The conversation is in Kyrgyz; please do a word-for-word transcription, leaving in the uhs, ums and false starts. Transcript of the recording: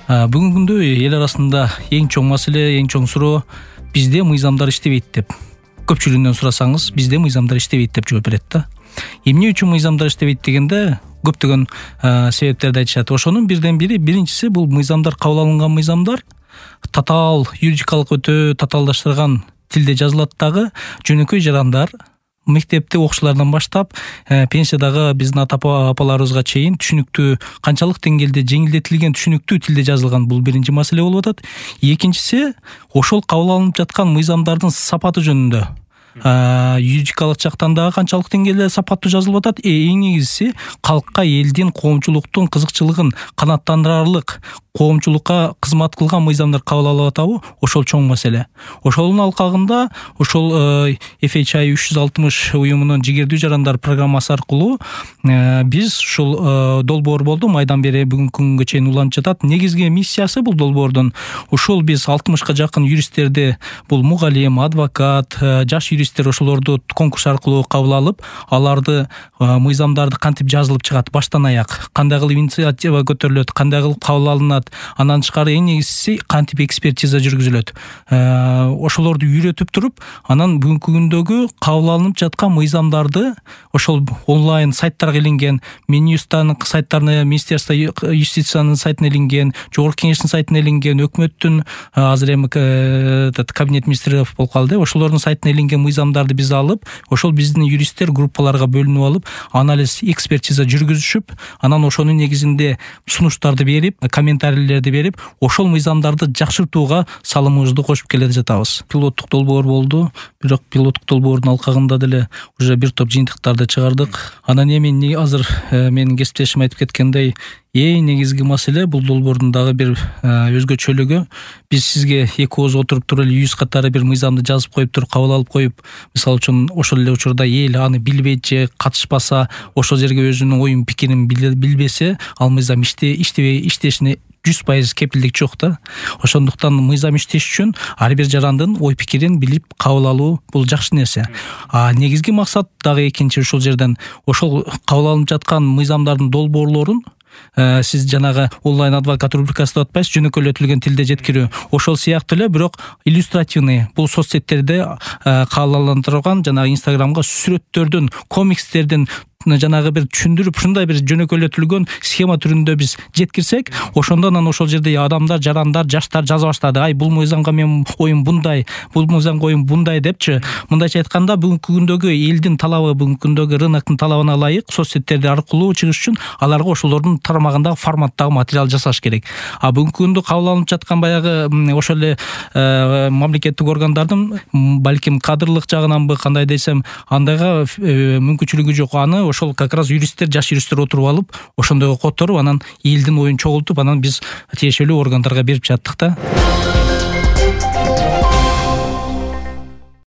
Бүгүнкү күндө эл арасында эң чоң маселе, эң чоң суроо бизде мыйзамдар иштебейт деп. Көпчүлүгүнөн сурасаңыз, бизде мыйзамдар иштебейт деп жооп берет да. Эмне үчүн мыйзамдар иштебейт дегенде көптөгөн себептерди айтышат. Ошонун бирден бири, биринчиси бул мыйзамдар, кабыл алынган мыйзамдар татаал, юридикалык өтө татаалдаштырган тилде жазылат дагы, жөнөкөй жарандар мектепте окуучулардан баштап пенсиядагы биздин ата апаларыбызга чейин түшүнүктүү, канчалык деңгээлде жеңилдетилген түшүнүктүү тилде жазылган, бул биринчи маселе болуп атат. Экинчиси, ошол кабыл алынып жаткан мыйзамдардын сапаты жөнүндө. Юридикалык жактан дагы канчалык деңгээлде сапаттуу жазылып атат. Эң негизгиси, калкка, элдин, коомчулуктун кызыкчылыгын канааттандырарлык, коомчулукка кызмат кылган мыйзамдар кабыл алып атабы, ошол чоң маселе. Ошонун алкагында ошол эф эйч ай үч жүз алтымыш уюмунун жигердүү жарандар программасы аркылуу биз ушул долбоор болду, майдан бери бүгүнкү күнгө чейин уланып жатат. Негизги миссиясы бул долбоордун ушул биз алтымышка жакын юристтерди, бул мугалим, адвокат, жаш юристтер, ошолорду конкурс аркылуу кабыл алып, аларды мыйзамдарды кантип жазылып чыгат баштан аяк, кандай кылып инициатива көтөрүлөт, кандай кылып кабыл алынат, андан тышкары эң негизгиси кантип экспертиза жүргүзүлөт. Ошолорду үйрөтүп туруп, анан бүгүнкү күндөгү кабыл алынып жаткан мыйзамдарды ошол онлайн сайттарга илинген, Минюстан сайттарына, Министерство юстициянын сайтына илинген, Жогорку Кеңештин сайтына илинген, өкмөттүн азыр эми кабинет министрлеров болуп калды, ошолордун сайтына илинген мыйзамдарды биз алып, ошол биздин юристтер группаларга бөлүнүп алып, анализ, экспертиза жүргүзүшүп, анан ошонун негизинде сунуштарды берип, комментарийлерди берип, ошол мыйзамдарды жакшыртууга салымыбызды кошуп келе жатабыз. Пилоттук долбоор болду, бирок пилоттук долбоордун алкагында деле уже бир топ жыйынтыктарды чыгардык. Анан эми азыр менин кесиптешим айтып кеткендей, эң негизги маселе бул долбоордун дагы бир өзгөчөлүгү, биз сизге эки ооз отуруп туруп эле жүз катары бир мыйзамды жазып коюп туруп, кабыл алып коюп, мисалы үчүн ошол эле учурда эл аны билбейт же катышпаса, ошол жерге өзүнүн оюн пикирин билбесе, ал мыйзам иштебей иштешине жүз пайыз кепилдик жок да. Ошондуктан мыйзам иштеш үчүн ар бир жарандын ой пикирин билип кабыл алуу бул жакшы нерсе. А негизги максат дагы экинчи ушул жерден, ошол кабыл алынып жаткан мыйзамдардын долбоорлорун сиз жанагы онлайн адвокат рубрикасы деп атпайсыз, жөнөкөйлөтүлгөн тилде жеткирүү. Ошол сыяктуу эле, бирок иллюстративный, бул соцсеттерде кааларландырылган жанагы Инстаграмга сүрөттөрдүн, комикстердин жанагы бир түшүндүрүп, ушундай бир жөнөкөйлөтүлгөн схема түрүндө биз жеткирсек, ошондо анан ошол жерде адамдар, жарандар, жаштар жаза баштады. Ай, бул мыйзамга менин оюм мындай, бул мыйзамга оюм мындай депчи. Мындайча айтканда, бүгүнкү күндөгү элдин талабы, бүгүнкү күндөгү рыноктун талабына ылайык соцсеттерди аркылуу чыгыш үчүн аларга ошолордун тармагындагы форматтагы материал жасаш керек. А бүгүнкү күндө кабыл алынып жаткан баягы ошол эле мамлекеттик органдардын балким кадрлык жагынанбы, кандай десем, андайга мүмкүнчүлүгү жок. Аны ошол как раз юристтер, жаш юристтер отуруп алып, ошондойго которуп, анан элдин оюн чогултуп, анан биз тиешелүү органдарга берип жаттык да.